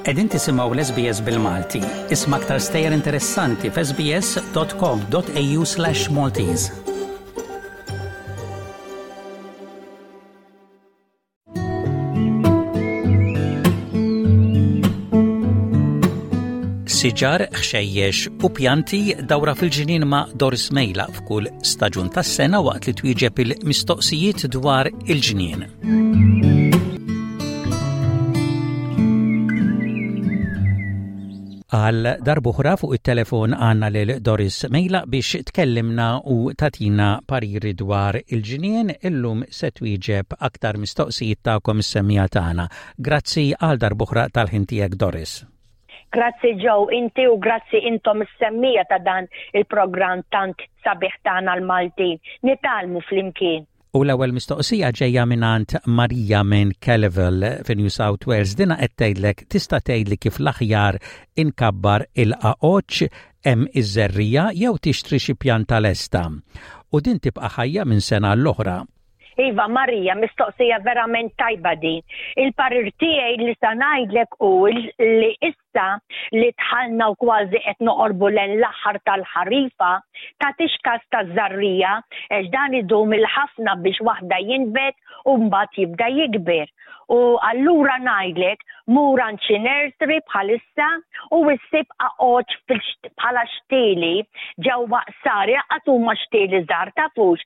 Qegħdin tisimgħu l-SBS bil-Malti. Isma' aktar stejjer interessanti f'sbs.com.au/Maltese. Siġar, ħxejjex u pjanti dawra fil-ġnien ma' Doris Mejla f'kull staġun tas-sena waqt li twieġeb il-mistoqsijiet dwar il-ġnien. Għal darb'oħra fuq it-telefon għandna lil Doris Mejla biex tkellimna u tatina pariri dwar il-ġnien illum se twieġeb aktar mistoqsijiet tagħkom is-semmiegħa tagħna. Grazzi għal darb'oħra tal-ħin tiegħek Doris. Grazzi Joe, inti u grazzi intom is-semmiegħa ta' dan il-programm tant sabiħ tagħna l-Maltin. Nitgħallmu flimkien. U l-ewwel mistoqsija ġejja mingħand Marija minn Kellyville fi New South Wales. Dina qed tgħidlek tista' tgħidli kif l-aħjar inkabbar il-qaqoċċ hemm iż-żerriegħa jew tixtri xi pjanta lesta. U din tibqa' ħajja minn sena għall-oħra. Iva Marija, mistoqsija verament tajba din. Il-parir tiegħi li sa ngħidlek hu li Issa li dħalna u kważi qed noqorbu lejn l-aħħar tal-ħarifa, tagħtix kas taż-żarrija għax dan idum il-ħafna biex waħda jinbet u mbagħad jibda jikber. U allura ngħidlek mur għand xi nursery bħalissa u issib qaqoċ bħala xtieli ġewwa qsar, jaqgħad huma xtieli żgħar tafux,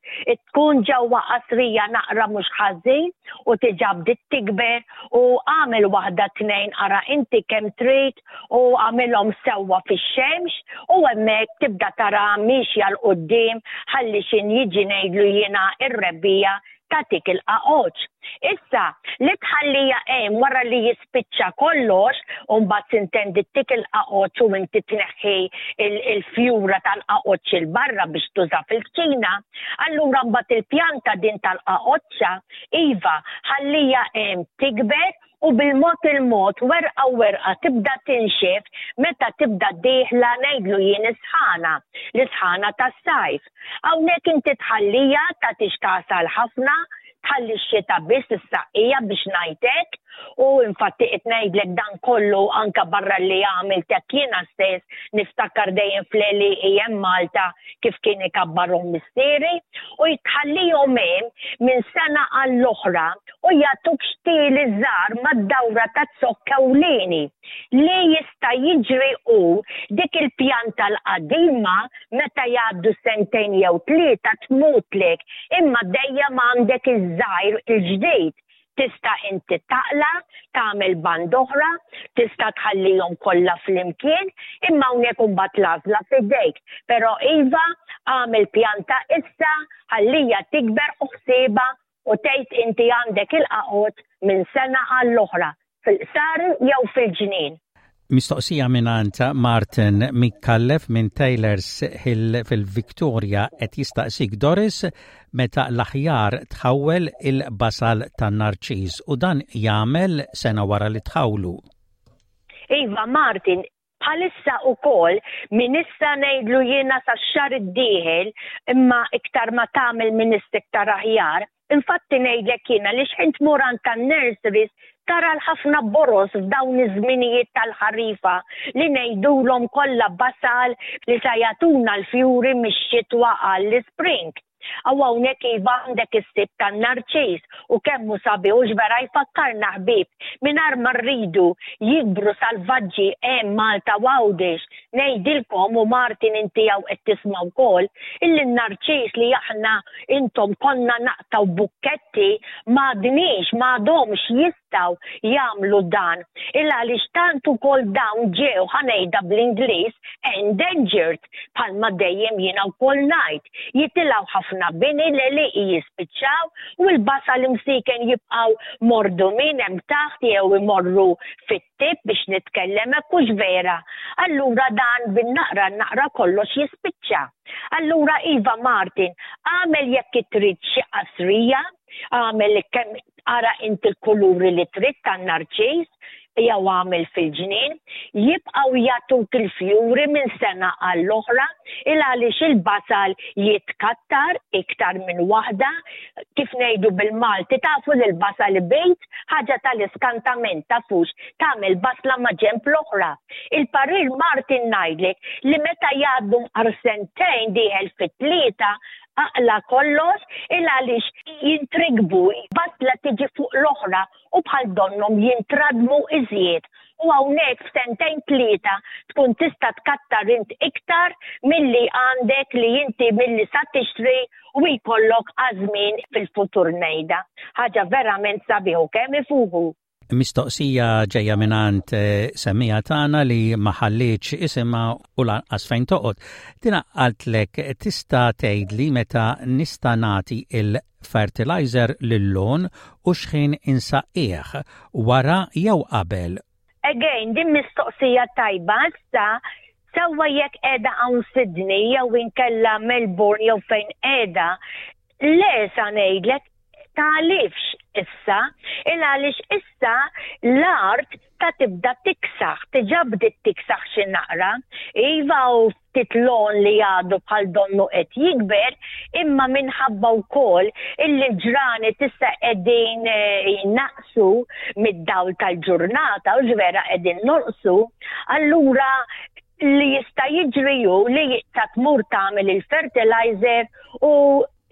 tkun ġewwa qasrija naqra mhux ħażin u tiġa bdiet tikber u agħmel waħda tnejn ara inti kemm trid u agħmilhom sewwa fix-xemx u hemmhekk tibda tara miexja 'l quddiem ħalli x'in jiġi ngħidlu jiena r-rebbiegħa tagħtik il-qaqoċ. Issa, li tħallija hemm wara li jispiċċa kollox u mbagħad sintendi ttik il-qaqoċ u inti tneħħi il-fjura tal-qaqoċ 'il barra biex tuża fil-kċina, allura mbagħad il-pjanta din tal-qaqoċċa Iva, ħallija hemm tikber u bil-mod il-mod, werqa werqa tibda tinxef meta tibda dieħla ngħidlu jien is-sħana, l-isħana tas-sajf. Hawnhekk inti tħallija tagħtix kasha ħafna, tħalli x-xita biss issaqqija biex ngħid hekk u infatti qed ngħidlek dan kollu anka barra li għamilt hekk jiena stess niftakar dejjem fl-għelieqi hemm Malta kif kien ikabbarhom missieri u jtħallihom hemm minn sena għall-oħra u jagħtuk xtieli żgħar mad-dawra taz-zokk ewlieni. Li jista' jiġri hu dik il-pjanta l-qadima meta jgħaddu sentejn jew tlieta tmutlek imma dejjem għandek iż-żgħir il-ġdid Tista' inti taqla', tagħmel band'oħra, tista' tħallihom kollha flimkien, imma hawnhekk imbagħad l-għażla f'idejk. Però iva, agħmel pjanta issa, ħallija tikber u ħsiebha u tgħid inti għandek il-qaqoċ minn sena għall-oħra. fil-qsari jew fil-ġnien. Mistoqsija mingħand Martin Micallef minn Taylors Hill fil-Victoria qed jistaqsik Doris meta l-aħjar tħawwel il-basal tan-narċiż u dan jagħmel sena wara li tħawlu. Iva Martin, Bħalissa ukoll minn issa ngħidlu jiena sax-xahar id-dieħel imma iktar ma tagħmel minn issa iktar aħjar. Infatti ngħidlek jiena li x'ħin tmur għand tan-nurseries tara l-ħafna boroż f'dawn iż-żminijiet tal-ħarifa li ngħidulhom kollha basal li sa jagħtuna l-fjuri mix-xitwa għall-ispring. Aw hawnhekk iva għandek is-sibt tan-narċis u kemm hu sabiħ hux vera jfakkarna ħbieb mingħajr ma rridu jikbru salvaġġi hemm Malta u Għawdex. Ngħidilkom u Martin inti hawn qed tisma' wkoll illi n-narċis li aħna intom konna naqtgħu bukketti m'għadniex m'għadhomx jistgħu jagħmlu dan il għaliex tant ukoll dawn ġew ħa ngħidha bl-Ingliż endangered bħalma dejjem jiena wkoll ngħid. Jitilgħu ħafna bini, l-għelieqi jispiċċaw u l-basal imsieken jibqgħu mordumin hemm taħt jew imorru fit-tip biex nitkellem hekk hux vera. Allura dan bin-naqra n-naqra kollox jispiċċa. Allura iva Martin, agħmel jekk trid xi qasrija, agħmel kemm ara inti l-kuluri li trid tan-narċis. jew għamel fil-ġnien, jibqgħu jagħtuk il-fjuri minn sena għall-oħra il għaliex il-basal jitkattar iktar minn waħda, kif ngħidu bil-Malti tafu li l-basal ibid, ħaġa tal-iskantament tafux tagħmel basla ma' ġenb l-oħra. Il-parir Martin ngħidlek li meta jgħaddu mqar sentejn dieħel fit-tlieta aqla' kollox il għaliex jintrikbu, basla tiġi fuq l-oħra u bħal donnhom jintradmu iżjed u hawnhekk f'sentejn tlieta tkun tista' tkattar int iktar milli għandek li inti milli sa tixtri u jkollok għaż-żmien fil-futur ngħidha. Ħaġa verament sabiħ u kemm ifuħu. Mistoqsija ġejja mingħand eh, semmija tagħna li ma ħallietx isimha u lanqas fejn toqgħod. Dina qaltlek tista' tgħidli meta nista' nagħti il-fertilizer lil-lawn u x'ħin insaqqih, wara jew qabel? Again, din mistoqsija tajba, issa sewwa jekk qiegħda hawn Sydney jew inkella Melbourne jew fejn qiegħda, le sa ngħidlek tagħlifx issa, il għaliex issa l-art ta' tibda tiksaħ, diġà bdiet tiksaħ xi naqra. Iva u ftit lon li għadu bħal donnu qed jikber, imma minħabba wkoll illi l-ġranet issa qegħdin eh, jnaqsu mid-dawl tal-ġurnata u ġvera qegħdin norqsu, allura li jista' jiġri hu li ta' tmur tagħmel il-fertilizer u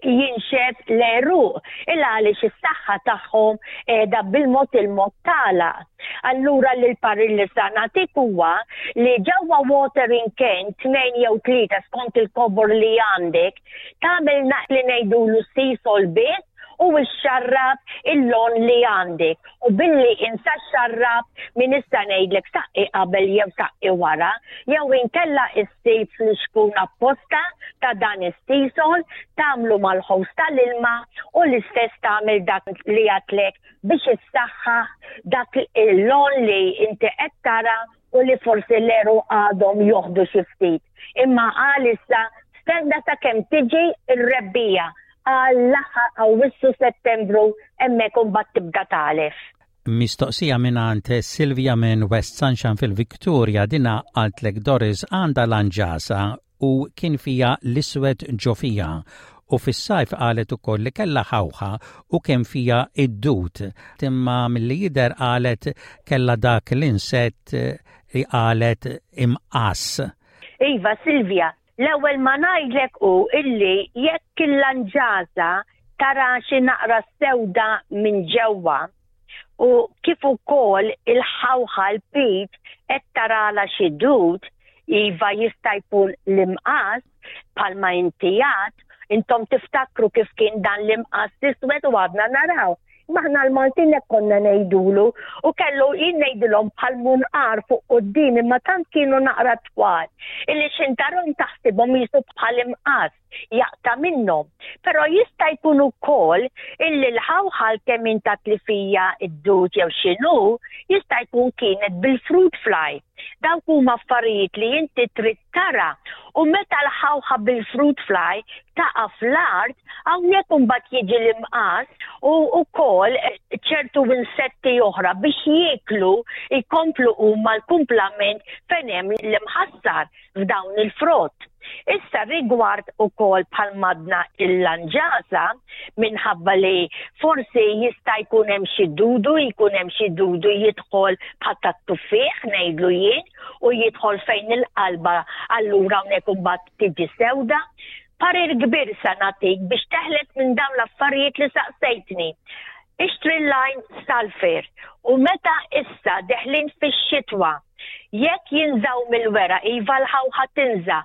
jinxef l-għeruq il għaliex is-saħħa tagħhom qiegħda bil-mod il-mod tagħlaq. Allura li l-parir li sa nagħtik huwa li ġewwa watering can tnejn jew tlieta skont il-kobor li għandek, tagħmel naqs li ngħidulu sisol biss u xxarrab il-lon li għandek u billi insa xxarrab min issa ngħidlek saqqi qabel jew saqqi wara jew inkella issib flixkun apposta ta' dan is-sisol tagħmlu mal-ħows tal-ilma u l-istess tagħmel dak li għadtlek biex issaħħaħ dak il-lon li inti qed tara u li forsi l-għeruq għadhom joħdu xi ftit. Imma għalissa stenna sakemm tiġi r-rebbiegħa għall-aħħar Awwissu Settembru hemmhekk imbagħad tibda tagħlef. Mistoqsija mingħand Silvia minn West Sunshine fil-Victoria dina qaltlek Doris għandha lanġasa u kien fiha l-iswed ġo fiha u fis-sajf qalet ukoll li kellha ħawħa u kemm fiha id-dud imma milli jidher qalet kellha dak l-insett li qalet imqass. Iva Silvia, L-ewwel ma ngħidlek hu illi jekk il-lanġasa tara xi naqra sewda minn ġewwa u kif ukoll il-ħawħa l-pit qed tarala xi dud, iva jista' jkun l-imqas bħalma inti għad, intom tiftakru kif kien dan l-imqas iswed u għadna naraw. Imma aħna l-Maltin hekk konna ngħidulu u kellu jien ngħidilhom bħal munqar fuq quddiem imma tant kienu naqra twal illi xintarhom taħsibhom jisu bħal imqas jaqta' minnhom. Però jista' jkun ukoll illi l-ħawħal kemm intat li fija id-dud jew x'inhu jista' jkun kienet bil-fruit fly. Dawk huma affarijiet li inti trid tara u meta l-ħawħa bil-fruit fly taqa' fl-art, hawnhekk imbagħad jiġi l-imqas u wkoll ċertu insetti oħra biex jieklu jkomplu huma l-kumplament fejn hemm l-imħassar f'dawn il-frott. Issa rigward ukoll bħal madna il-lanġasa minħabba li forsi jista' jkun hemm xi dudu, jkun hemm xi dudu jidħol bħal tat-tuffieħ ngħidlu jien u jidħol fejn il-qalba allura hawnhekk imbagħad tiġi sewda. Parir kbir sa nagħtik biex teħles minn dawn l-affarijiet li saqsejtni. Ixtri l-lime sulfur u meta issa deħlin fix-xitwa Jekk jinżgħu mill-weraq, iva l-ħawħa tinża',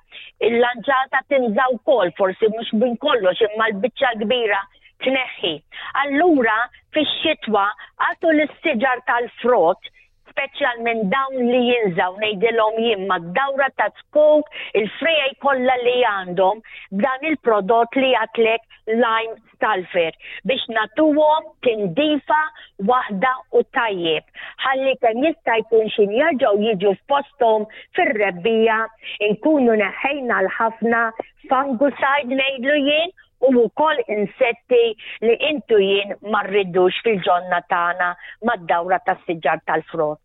il-lanġata tinża' wkoll, forsi mhux minn kollox imma l-biċċa l-kbira tneħħi. Allura fix-xitwa agħtu lis-siġar tal-frott, speċjalment dawn li jinżgħu ngħidilhom jien mad-dawra ta' zkuk, il-friegħi kollha li għandhom b'dan il-prodott li għadtlek lime sulfur biex nagħtuhom tindifa waħda u tajjeb ħalli kemm jista' jkun xin jerġgħu jiġu f'posthom fir-rebbiegħa inkunu neħħejna l-ħafna fungicide ngħidlu jien u wkoll insetti li intu jien ma rridux fil-ġonna tagħna mad-dawra tas-siġar tal-frott.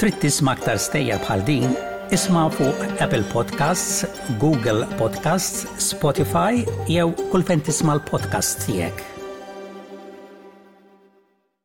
Trid tisma' aktar stejjer bħal din? Isma' fuq Apple Podcasts, Google Podcasts, Spotify jew kull fejn tisma' l-podcasts tiegħek.